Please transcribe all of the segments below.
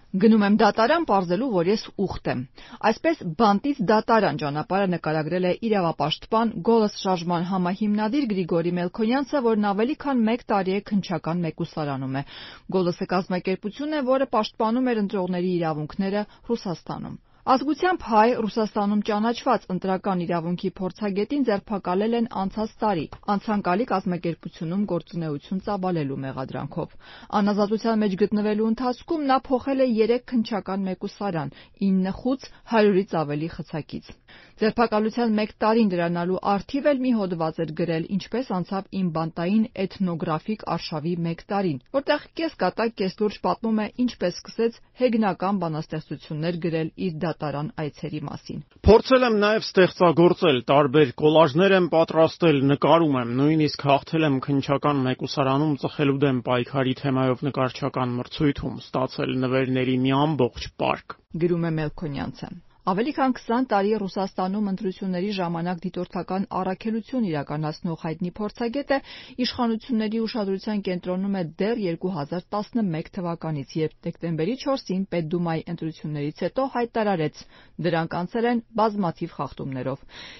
Գնում եմ դատարան պարզելու, որ ես ուխտ եմ։ Այսպես բանտից դատարան ճանապարհը նկարագրել է իրավապաշտպան Գոլս շարժման համահիմնադիր Գրիգորի Մելքոնյանցը, որն ավելի քան 1 տարի է քննչական մեկուսարանում է։ Գոլսը կազմակերպություն է, որը պաշտպանում էր ընտրողների իրավունքները Ռուսաստանում։ Ազգությամբ հայ Ռուսաստանում ճանաչված ընտրական իրավունքի փորձագետին ձերբակալել են անցած տարի անցանկալի կազմակերպությունում գործունեություն ծավալելու մեղադրանքով։ Անազատության մեջ գտնվելու ընթացքում նա փոխել է 3 քննչական մեկուսարան, 9 խուց, 100-ից ավելի խցակից։ Ձերբակալության 1 տարին դրանալու առթիվ էլ մի հոդված էր գրել «Ինչպես անցավ իմ բանտային էթնոգրաֆիկ արշավի 1 տարին», որտեղ կեսկատակ կեսլուրջ պատմում է ինչպես սկսեց հեգնական բանաստեղծություններ գրել իր դատարան այցերի մասին։ Փորձել եմ նաև ստեղծագործել, տարբեր կոլաժներ եմ պատրաստել, նկարում եմ, նույնիսկ հաղթել եմ քննչական մեկուսարանում ծխելու դեմ պայքարի թեմայով նկարչական մրցույթում, ստացել նվերների մի ամբողջ պարկ։ Գրում է Մելքոնյանցը։ Ավելի քան 20 տարի Ռուսաստանում ընտրությունների ժամանակ դիտորդական առաքելություն իրականացնող հայտնի փորձագետը իշխանությունների ուշադրության կենտրոնում է դեռ 2011 թվականից, երբ դեկտեմբերի 4-ին Պետդումայի ընտրություններից հետո հայտարարեց՝ դրանք անցել են բազմաթիվ խախտումներով։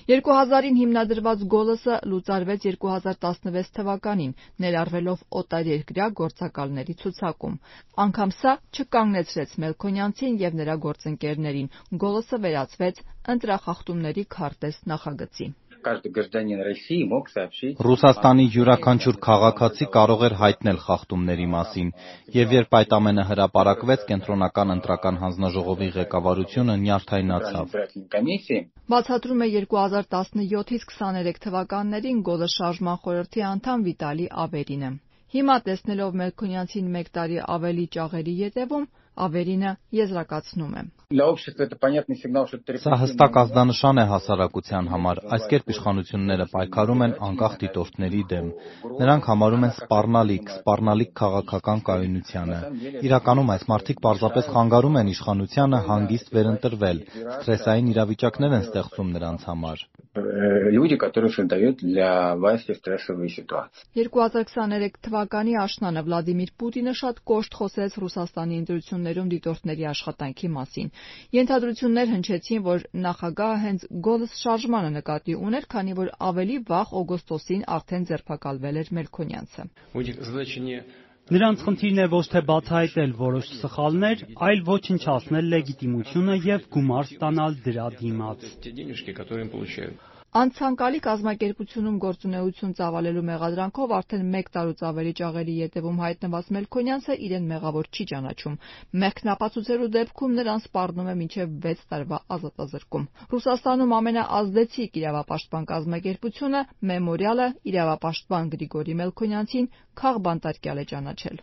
2000-ին հիմնադրված Գոլսը լուծարվեց 2016 թվականին, ներառվելով օտարերկրյա գործակալների ցուցակում։ Անգամ սա չկանգնեցրեց Մելքոնյանցին և նրա գործընկերներին։ Գոլսը վերածվեց ընտրախախտումների քարտեզ նախագծի։ Ռուսաստանի յուրաքանչյուր քաղաքացի կարող էր հայտնել խախտումների մասին, և երբ այդ ամենը հրապարակվեց, Կենտրոնական ընտրական հանձնաժողովի ղեկավարությունը նյարդայնացավ։ Բացատրում է 2017-ից 23 թվականներին Գոլս շարժման խորհրդի անդամ Վիտալի Ավերինը։ Հիմա տեսնելով Մելքոնյանցին 1 տարի ավելի ճաղերի ետևում, Ավերինը եզրակացնում է. Սա հստակ ազդանշան է հասարակության համար, այս կերպ իշխանությունները պայքարում են անկախ դիտորդների դեմ։ Նրանք համարում են սպառնալիք քաղաքական կայունությանը։ Իրականում այս մարդիկ պարզապես խանգարում են իշխանությանը հանգիստ վերընտրվել, սթրեսային իրավիճակներ են ստեղծում նրանց համար։ 2023 թվականի աշնանը Վլադիմիր Պուտինը շատ կոշտ խոսեց Ռուսաստանի ընտրություններում դիտորդների աշխատանքի մասին։ Ենթադրություններ հնչեցին, որ նախագահը հենց Գոլս շարժմանը նկատի ուներ, քանի որ ավելի վաղ օգոստոսին արդեն ձերբակալվել էր Մելքոնյանցը։ Նրանց խնդիրն է ոչ թե բացահայտել որոշ սխալներ, այլ ոչնչացնել լեգիտիմությունը և գումար ստանալ դրա դիմաց։ Անցանկալի կազմակերպությունում գործունեություն ծավալելու մեղադրանքով արդեն 1 տարուց ավելի ճաղերի ետևում հայտնված Մելքոնյանցը իրեն մեղավոր չի ճանաչում։ Մեղքն ապացուցելու դեպքում նրան սպառնում է մինչև 6 տարվա ազատազրկում։ Ռուսաստանում ամենաազդեցիկ իրավապաշտպան կազմակերպությունը Մեմորիալը իրավապաշտպան Գրիգորի Մելքոնյանցին քաղբանտարկյալ է ճանաչել։